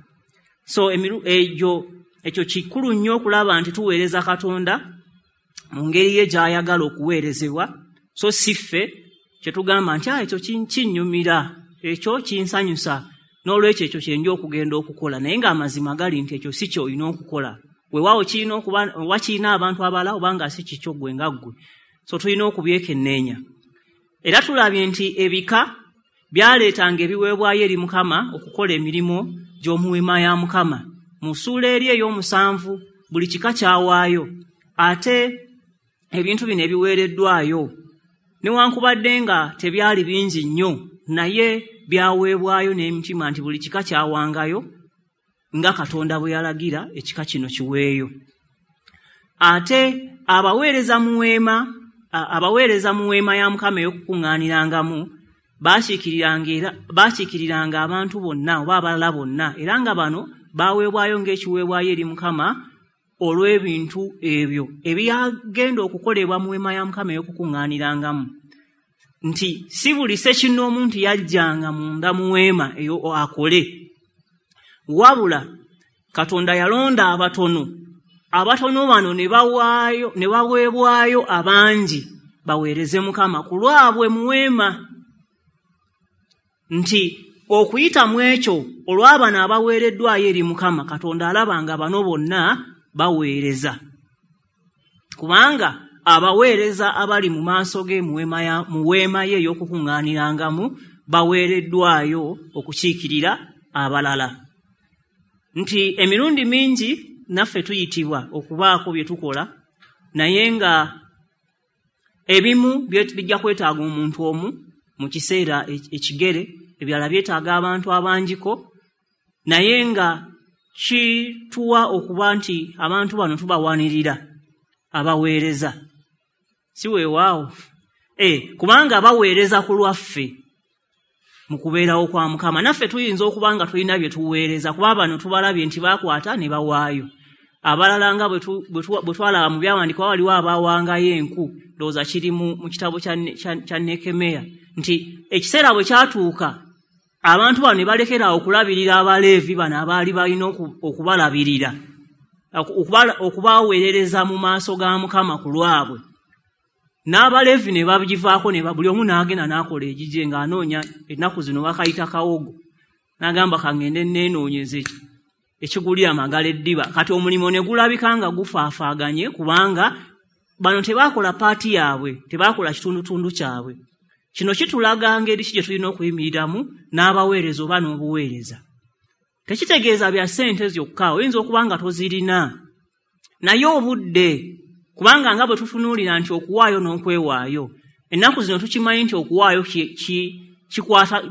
So ekyo kikulu nnyo okulaba nti tuweereza Katonda mu ngeri ye gy'ayagala okuweerezebwa, so si ffe kye tugamba nti ekyo kinnyumira, ekyo kinsanyusa, n'olwekyo ekyo kye nja okugenda okukola, naye ng'amazima gali nti ekyo si ky'olina okukola. Weewaawo kirina okuba oba kirina abantu abalala oba nga si kikyo ggwe nga ggwe. So tulina okubyekenneenya. Era tulabye nti ebika byaleetanga ebiweebwayo eri Mukama okukola emirimu gy'omu weema ya Mukama. Mu ssuula eri ey'omusanvu buli kika kyawaayo, ate ebintu bino ebiweereddwayo newankubadde nga tebyali bingi nnyo, naye byaweebwayo n'emitima nti buli kika kyawangayo nga Katonda bwe yalagira ekika kino kiweeyo. Ate abaweereza mu weema ya Mukama ey'okukuŋŋaanirangamu baakiikiriranga abantu bonna oba abalala bonna, era nga bano baaweebwayo ng'ekiweebwayo eri Mukama olw'ebintu ebyo ebyagenda okukolebwa mu weema ya Mukama ey'okukuŋŋaanirangamu. Nti si buli ssekinnoomu nti yajjanga munda mu weema eyo akole, wabula Katonda yalonda abatono, abatono bano ne baweebwayo abangi baweereze Mukama ku lwabwe mu weema. Nti okuyita mu ekyo olw'abano abaweereddwayo eri Mukama, Katonda alaba nga bano bonna baweereza, kubanga abaweereza abali mu maaso ge mu weema ye ey'okukuŋŋaanirangamu baweereddwayo okukiikirira abalala. Nti emirundi mingi naffe tuyitibwa okubaako bye tukola, naye nga ebimu bijja kwetaaga omuntu omu mu kiseera ekigere, ebirala byetaaga abantu abangiko, naye nga kituwa okuba nti abantu bano tubawanirira abaweereza. Si weewaawo? Kubanga baweereza ku lwaffe mu kubeerawo kwa Mukama. Naffe tuyinza okuba nga tulina bye tuweereza, kuba bano tubalabye nti baakwata ne bawaayo. Abalala nga bwe twalaba mu byawandiikibwa waliwo abaawangayo enku, ndowooza kiri mu kitabo kya Nekemeya, nti ekiseera bwe kyatuuka abantu bano ne balekera okulabirira Abaleevi bano abaali balina okubalabirira, okubaweerereza mu maaso ga Mukama ku lwabwe. N'Abaleevi ne bagivaako, ne buli omu n'agenda n'akola egigye ng'anoonya, ennaku zino bakayita kawogo, n'agamba kangende neenoonyeze ekigulira amagala eddiba. Kati omulimu ne gulabika nga gufaafaaganye, kubanga bano tebaakola paati yaabwe, tebaakola kitundutundu kyabwe. Kino kitulaga ngeri ki gye tulina okuyimiriramu n'abaweereza oba n'obuweereza. Tekitegeeza bya ssente zokka, oyinza okuba nga tozirina, naye obudde, kubanga nga bwe tutunuulira nti okuwaayo n'okwewaayo, ennaku zino tukimanyi nti okuwaayo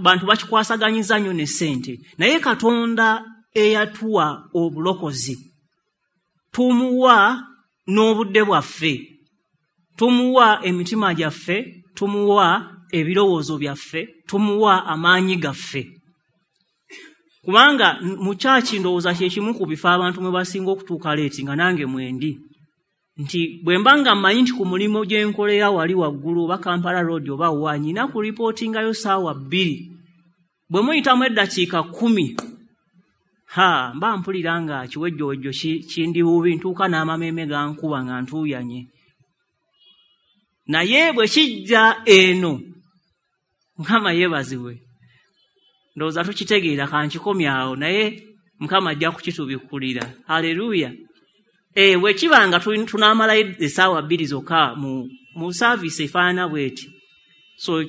bantu bakikwasaganyiza nnyo ne ssente, naye Katonda eyatuwa obulokozi tumuwa n'obudde bwaffe, tumuwa emitima gyaffe, tumuwa ebirowoozo byaffe, tumuwa amaanyi gaffe. Kubanga mu kyaki ndowooza kye kimu ku bifo abantu mwe basinga okutuuka leeti, nga nange mwendi, nti bwe mba nga mmanyi nti ku mulimu gye nkolera wali waggulu oba Kampala Road oba wa, nnina kuripootingayo 2:00, bwe muyitamu eddakiika 10, ha mba mpulira nga kiwejjowejjo kindi bubi, ntuuka n'amameeme gankuba nga ntuuyanye. Naye bwe kijja eno, Mukama yeebazibwe, ndowooza tukitegeera, kankikomye awo, naye Mukama ajja kukitubikkulira. Haleluya. Bwe kiba nga tunaamalayo 2:00 zokka mu saaviisi efaanana bw'eti, so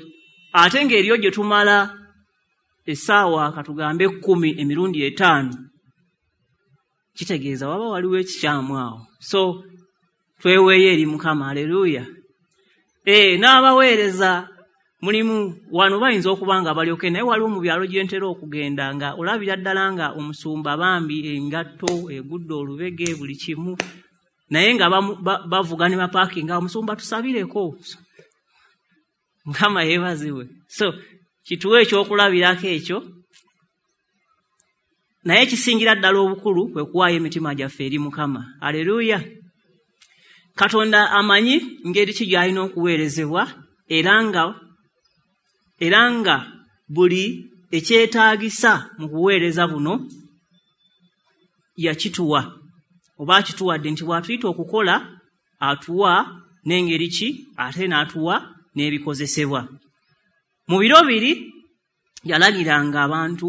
ate ng'eriyo gye tumala essaawa katugambe 10 emirundi 5, kitegeeza waba waliwo ekikyamu awo. So tweweeyo eri Mukama. Haleluya. N'abaweereza mulimu wano bayinza okuba nga balyoke, naye waliwo mu byalo gye ntera okugenda nga olabira ddala nga omusumba bambi engatto egudde olubege buli kimu, naye nga bavuga ne bapaakinga, omusumba tusabireko. Mukama yeebazibwe. So kituwe ekyokulabirako ekyo, naye kisingira ddala obukulu kwe kuwaayo emitima gyaffe eri Mukama. Haleluya. Katonda amanyi ngeri ki gy'alina okuweerezebwa, era nga buli ekyetaagisa mu kuweereza buno yakituwa, oba akituwadde, nti bw'atuyita okukola atuwa n'engeri ki, ate n'atuwa n'ebikozesebwa. Mu biro biri yalagiranga abantu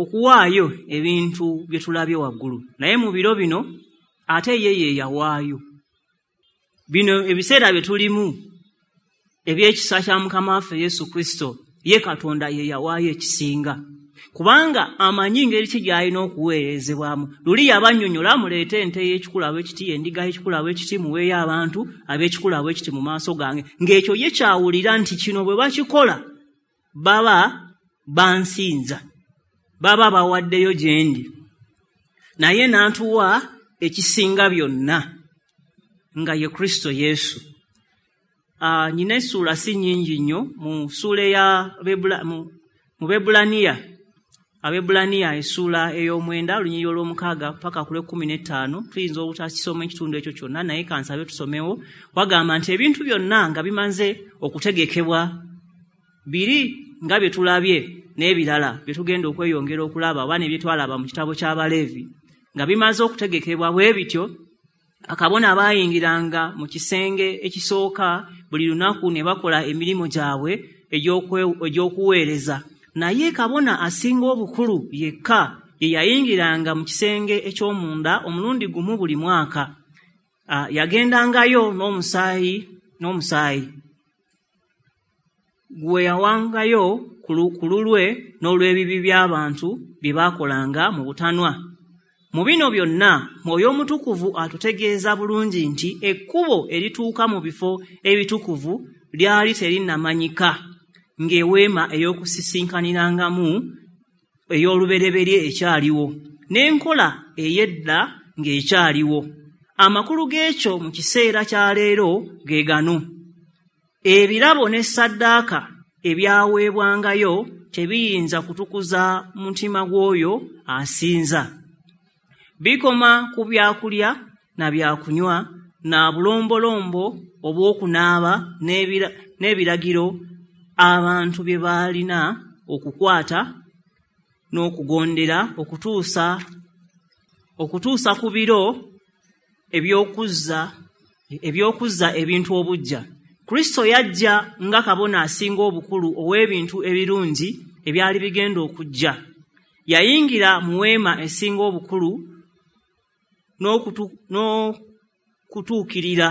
okuwaayo ebintu bye tulabye waggulu, naye mu biro bino ate ye ye yawaayo. Bino ebiseera bye tulimu eby'ekisa kya Mukama waffe Yesu Kristo, ye Katonda ye yawaayo ekisinga, kubanga amanyi ngeri ki gy'alina okuweerezebwamu. Luli yabannyonnyola, muleete ente y'ekikula bw'ekiti, endiga y'ekikula bw'ekiti, muweeyo abantu ab'ekikula bw'ekiti mu maaso gange, ng'ekyo ye kyawulira nti kino bwe bakikola baba bansinza, baba bawaddeyo gye ndi. Naye n'atuwa ekisinga byonna nga ye Kristo Yesu. Nnina essuula si nnyingi nnyo mu ssuula eya mu Bebbulaniya, Abebbulaniya essuula 9 olunyiriri 6 paka ku 15. Tuyinza obutakisoma ekitundu ekyo kyonna, naye kansabe tusomewo. Wagamba nti ebintu byonna nga bimaze okutegekebwa biri nga bye tulabye n'ebirala bye tugenda okweyongera okulaba oba ne bye twalaba mu kitabo ky'Abaleevi, nga bimaze okutegekebwa bwe bityo, akabona baayingiranga mu kisenge ekisooka buli lunaku ne bakola emirimu gyabwe egy'okuweereza. Naye kabona asinga obukulu yekka ye yayingiranga mu kisenge eky'omunda omulundi gumu buli mwaka. Yagendangayo n'omusaayi gwe yawangayo ku lulwe n'olw'ebibi by'abantu bye baakolanga mu butanwa. Mu bino byonna Mwoyo Omutukuvu atutegeeza bulungi nti ekkubo erituuka mu bifo ebitukuvu lyali terinnamanyika, ng'eweema ey'okusisinkanirangamu ey'olubereberye ekyaliwo, n'enkola ey'edda ng'ekyaliwo. Amakulu g'ekyo mu kiseera kya leero ge gano: ebirabo ne ssaddaaka ebyaweebwangayo tebiyinza kutukuza mutima gw'oyo asinza. Bikoma ku byakulya na byakunywa na bulombolombo obw'okunaaba n'ebiragiro abantu bye baalina okukwata n'okugondera okutuusa ku biro eby'okuzza ebintu obuggya. Kristo yajja nga kabona asinga obukulu ow'ebintu ebirungi ebyali bigenda okujja. Yayingira mu weema esinga obukulu n'okutuukirira,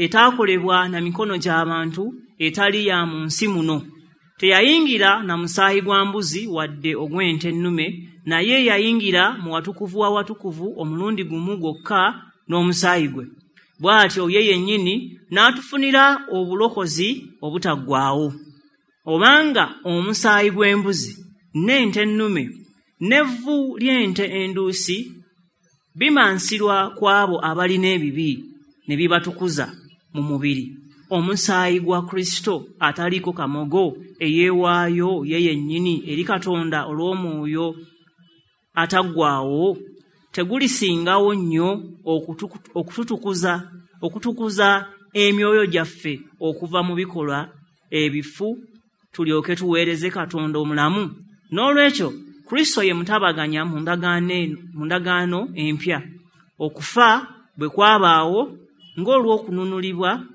etaakolebwa na mikono gy'abantu, etali ya mu nsi muno. Teyayingira na musaayi gwa mbuzi wadde ogw'ente ennume, naye yayingira mu watukuvu wa watukuvu omulundi gumu gwokka n'omusaayi gwe. Bw'atyo ye yennyini n'atufunira obulokozi obutaggwaawo. Obanga omusaayi gw'embuzi n'ente ennume n'evvu ly'ente enduusi bimansirwa ku abo abalina ebibi ne bibatukuza mu mubiri, Omusaayi gwa Kristo ataliiko kamogo, eyeewaayo ye yennyini eri Katonda olw'omwoyo ataggwaawo, tegulisingawo nnyo okutukuza emyoyo gyaffe okuva mu bikolwa ebifu, tulyoke tuweereze Katonda omulamu? N'olwekyo Kristo ye mutabaganya mu ndagaano empya. Okufa bwe kwabaawo ng'olw'okununulibwa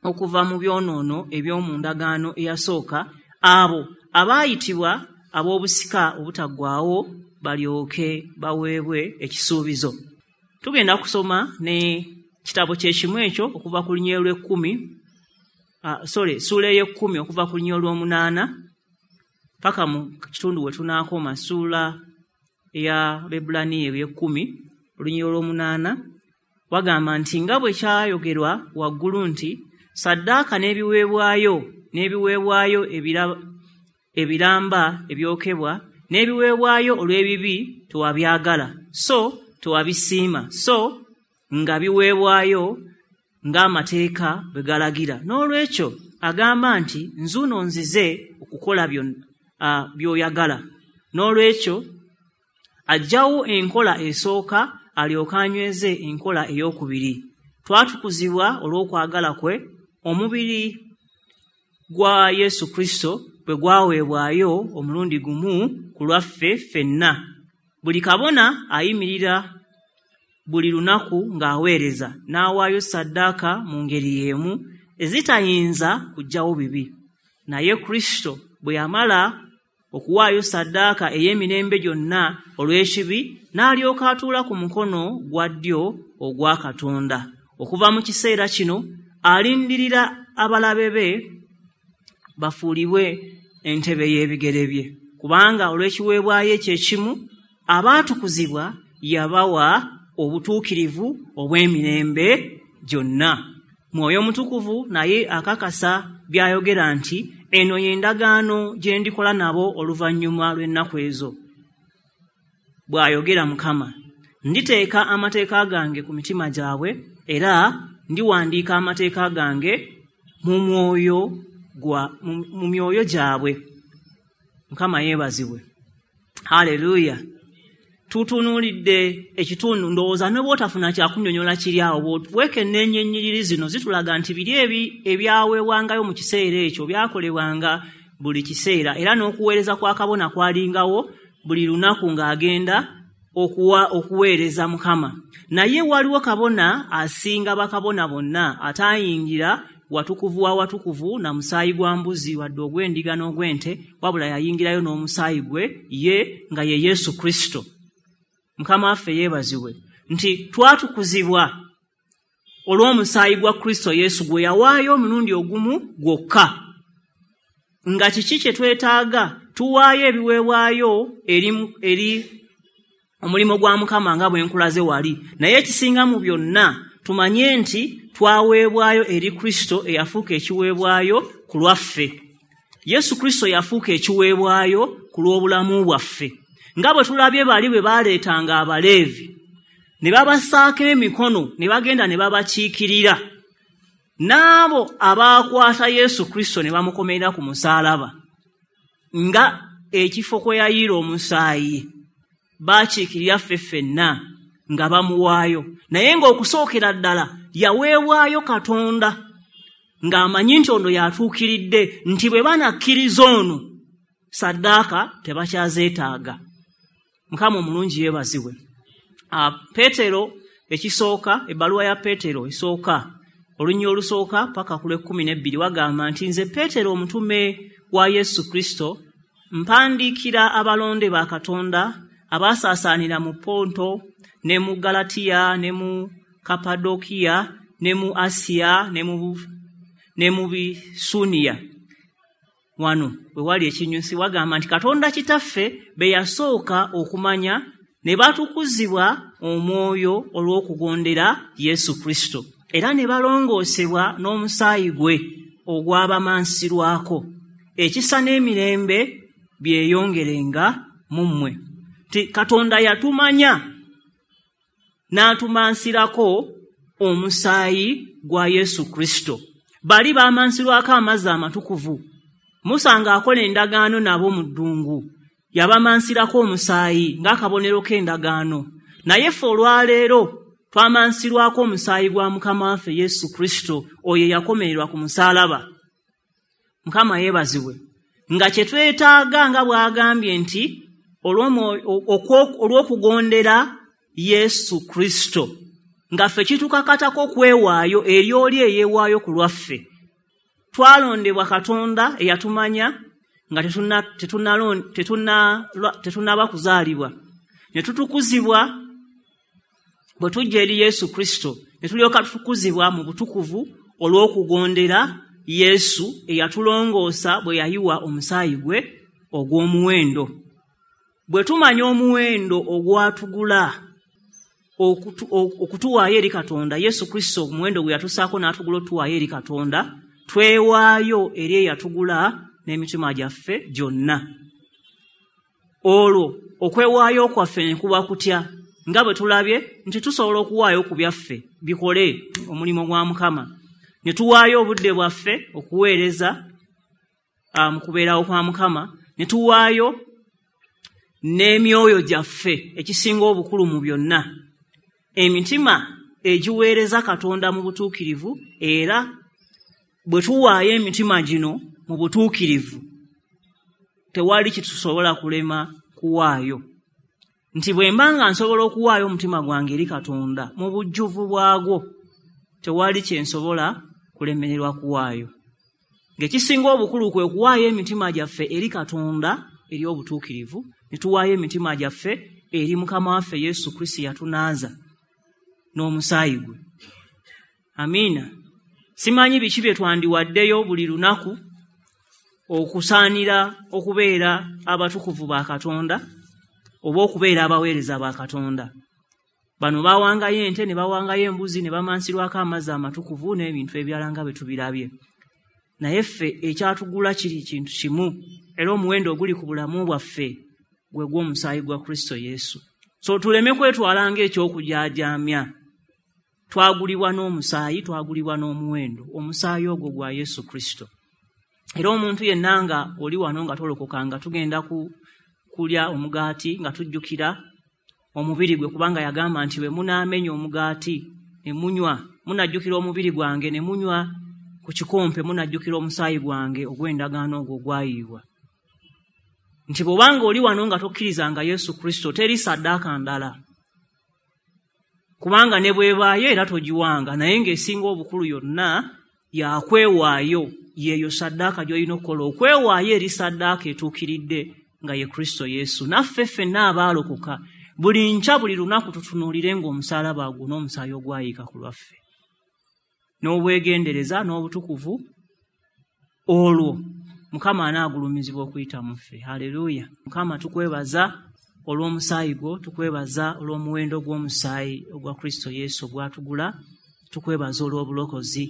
okuva mu byonoono eby'omu ndagaano eyasooka, abo abaayitibwa ab'obusika obutaggwaawo balyoke baweebwe ekisuubizo. Tugenda kusoma ne kitabo kyekimu ekyo okuva ku lunyiriri lw'ekkumi, ssuula ey'ekkumi okuva ku lunyiriri olw'omunaana paka mu kitundu we tunaakoma, ssuula eya Abaebbulaniya ey'ekkumi olunyiriri olw'omunaana. Wagamba nti nga bwe kyayogerwa waggulu nti saddaaka n'ebiweebwayo ebiramba ebyokebwa n'ebiweebwayo olw'ebibi tewabyagala, so tewabisiima, so nga biweebwayo ng'amateeka bwe galagira. N'olwekyo agamba nti nzuuno nzize okukola by'oyagala. N'olwekyo aggyawo enkola esooka alyoke anyweze enkola ey'okubiri. Twatukuzibwa olw'okwagala kwe, omubiri gwa Yesu Kristo bwe gwaweebwayo omulundi gumu ku lwaffe ffenna. Buli kabona ayimirira buli lunaku ng'aweereza, n'awaayo ssaddaaka mu ngeri y'emu ezitayinza kuggyawo bibi. Naye Kristo bwe yamala okuwaayo ssaddaaka ey'emirembe gyonna olw'ekibi, n'alyoka atuula ku mukono gwa ddyo ogwa Katonda. Okuva mu kiseera kino alindirira abalabe be bafuulibwe entebe y'ebigere bye, kubanga olw'ekiweebwayo ekyo ekimu abaatukuzibwa yabawa obutuukirivu obw'emirembe gyonna. Mwoyo Mutukuvu naye akakasa by'ayogera nti eno y'endagaano gye ndikola nabo oluvannyuma lw'ennaku ezo, bw'ayogera Mukama. Nditeeka amateeka gange ku mitima gyabwe, era ndiwandiika amateeka gange mu myoyo gyabwe. Mukama yeebazibwe. Haleluya. Tutunuulidde ekitundu, ndowooza ne bw'otafuna kyakunnyonnyola kiri awo, weekenneenya ennyiriri zino zitulaga nti biri ebyaweebwangayo mu kiseera ekyo byakolebwanga buli kiseera, era n'okuweereza kwa kabona kwalingawo buli lunaku ng'agenda okuweereza Mukama. Naye waliwo kabona asinga bakabona bonna, ataayingira watukuvu wa watukuvu na musaayi gwa mbuzi wadde ogw'endiga n'ogw'ente, wabula yayingirayo n'omusaayi gwe ye, nga ye Yesu Kristo. Mukama waffe yeebazibwe nti twatukuzibwa olw'omusaayi gwa Kristo Yesu gwe yawaayo omulundi ogumu gwokka. Nga kiki kye twetaaga? Tuwaayo ebiweebwayo eri omulimu gwa Mukama nga bwe nkulaze wali. Naye ekisinga mu byonna tumanye nti twaweebwayo eri Kristo eyafuuka ekiweebwayo ku lwaffe. Yesu Kristo yafuuka ekiweebwayo ku lw'obulamu bwaffe. Nga bwe tulabye bali bwe baleetanga Abaleevi ne babassaako emikono ne bagenda ne babakiikirira, n'abo abaakwata Yesu Kristo ne bamukomerera ku musaalaba nga ekifo kwe yayiira omusaayi, baakiikirira ffe ffenna nga bamuwaayo. Naye ng'okusookera ddala yaweebwayo Katonda ng'amanyi nti ono yatuukiridde, nti bwe banakkiriza ono saddaaka tebakyazeetaaga. Mukama omulungi yeebazibwe. Peetero ekisooka, ebbaluwa ya Peetero esooka, olunyiriri olusooka paka ku lw'ekkumi n'ebbiri, wagamba nti nze Peetero omutume wa Yesu Kristo mpandiikira abalonde ba Katonda abaasaasaanira mu Ponto ne mu Galatiya ne mu Kapadokiya ne mu Asiya ne mu Bisuniya. Wano we wali ekinyusi, wagamba nti Katonda Kitaffe be yasooka okumanya ne batukuzibwa omwoyo olw'okugondera Yesu Kristo, era ne balongoosebwa n'omusaayi gwe ogwabamansirwako. Ekisa n'emirembe byeyongerenga mu mmwe. Nti Katonda yatumanya n'atumansirako omusaayi gwa Yesu Kristo. Bali bamansirwako amazzi amatukuvu. Musa ng'akola endagaano nabo mu ddungu, yabamansirako omusaayi ng'akabonero k'endagaano. Naye ffe olwaleero twamansirwako omusaayi gwa Mukama waffe Yesu Kristo, oyo eyakomererwa ku musaalaba. Mukama yeebazibwe. Nga kye twetaaga nga bw'agambye nti olw'okugondera Yesu Kristo, nga ffe kitukakatako okwewaayo eri oli eyeewaayo ku lwaffe. Twalondebwa Katonda eyatumanya nga tetunnaba kuzaalibwa, ne tutukuzibwa bwe tujja eri Yesu Kristo, ne tulyoka tutukuzibwa mu butukuvu olw'okugondera Yesu eyatulongoosa bwe yayiwa omusaayi gwe ogw'omuwendo. Bwe tumanya omuwendo ogwatugula okutuwaayo eri Katonda, Yesu Kristo omuwendo gwe yatusaako n'atugula otuwaayo eri Katonda, twewaayo eri eyatugula n'emitima gyaffe gyonna. Olwo okwewaayo kwaffe ne kuba kutya? Nga bwe tulabye nti tusobola okuwaayo ku byaffe bikole omulimu gwa Mukama, ne tuwaayo obudde bwaffe okuweereza mu kubeerawo kwa Mukama, ne tuwaayo n'emyoyo gyaffe, ekisinga obukulu mu byonna, emitima egiweereza Katonda mu butuukirivu. Era bwe tuwaayo emitima gino mu butuukirivu, tewali kitusobola kulema kuwaayo. Nti bwe mba nga nsobola okuwaayo omutima gwange eri Katonda mu bujjuvu bwagwo, tewali kye nsobola kulemererwa kuwaayo. Ng'ekisinga obukulu kwe kuwaayo emitima gyaffe eri Katonda eri obutuukirivu, ne tuwaayo emitima gyaffe eri Mukama waffe Yesu Kristo yatunaaza n'omusaayi gwe. Amiina. Simanyi biki bye twandiwaddeyo buli lunaku okusaanira okubeera abatukuvu ba Katonda oba okubeera abaweereza ba Katonda. Bano bawangayo ente ne bawangayo embuzi ne bamansirwako amazzi amatukuvu n'ebintu ebirala nga bwe tubirabye. Naye ffe ekyatugula kiri kintu kimu, era omuwendo oguli ku bulamu bwaffe gwe gw'omusaayi gwa Kristo Yesu. So tuleme kwetwala ng'ekyokujaajaamya. Twagulibwa n'omusaayi, twagulibwa n'omuwendo, omusaayi ogwo gwa Yesu Kristo. Era omuntu yenna nga oli wano nga tolokokanga, tugenda kulya omugaati nga tujjukira omubiri gwe, kubanga yagamba nti bwe munaamenya omugaati ne munywa, munajjukira omubiri gwange, ne munywa ku kikompe munajjukira omusaayi gwange ogw'endagaano ogwo ogwayiibwa. Nti bw'obanga oli wano nga tokkirizanga Yesu Kristo, teri saddaaka ndala, kubanga ne bw'ebaayo era togiwanga, naye ng'esinga obukulu yonna yakwewaayo, yeeyo saddaaka gy'olina okukola, okwewaayo eri saddaaka etuukiridde nga ye Kristo Yesu. Naffe ffenna abaalokoka buli nkya buli lunaku tutunuulire ng'omusaalaba gwo n'omusaayi ogwayiika ku lwaffe, n'obwegendereza n'obutukuvu, olwo Mukama anaagulumizibwa okuyita mu ffe. Haleluya. Mukama tukwebaza olw'omusaayi gwo, tukwebaza olw'omuwendo gw'omusaayi ogwa Kristo Yesu ogwatugula, tukwebaza olw'obulokozi,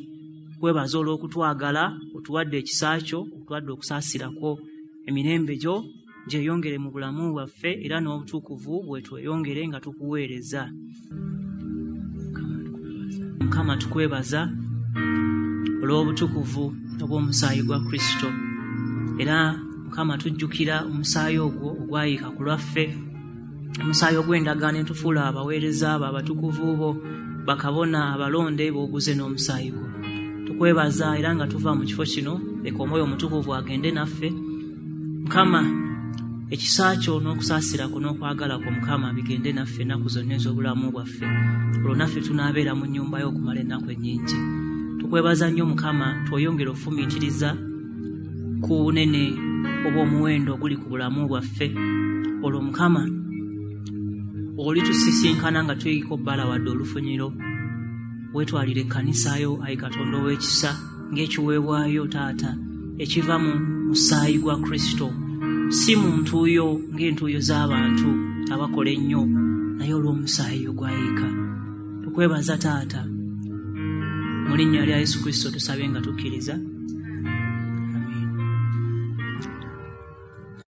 tukwebaza olw'okutwagala, otuwadde ekisa kyo, otuwadde okusaasira kwo. Emirembe gyo gyeyongere mu bulamu bwaffe era n'obutukuvu bwe tweyongere nga tukuweereza. Mukama tukwebaza olw'obutukuvu obw'omusaayi gwa Kristo. Era Mukama tujjukira omusaayi ogwo ogwayiika ku lwaffe, omusaayi ogw'endagaano etufuula abaweereza abo abatukuvu bo, bakabona abalonde b'oguze n'omusaayi gwo. Tukwebaza era nga tuva mu kifo kino, leka Omwoyo Omutukuvu agende naffe. Mukama ekisa kyo n'okusaasira kwo n'okwagala kwo Mukama bigende naffe ennaku zonna ez'obulamu bwaffe, olwo naffe tunaabeera mu nnyumba yo okumala ennaku ennyingi. Tukwebaza nnyo Mukama, tweyongere okufumiitiriza ku bunene obw'omuwendo oguli ku bulamu bwaffe, olwo Mukama olitusisinkana nga tuyiko bbala wadde olufunyiro. Weetwalire ekkanisa yo, ayi Katonda ow'ekisa, ng'ekiweebwayo Taata ekiva mu musaayi gwa Kristo, si mu ntuuyo ng'entuuyo z'abantu abakola ennyo, naye olw'omusaayi ogwayiika. Tukwebaza Taata, mu linnya lya Yesu Kristo tusabye nga tukkiriza.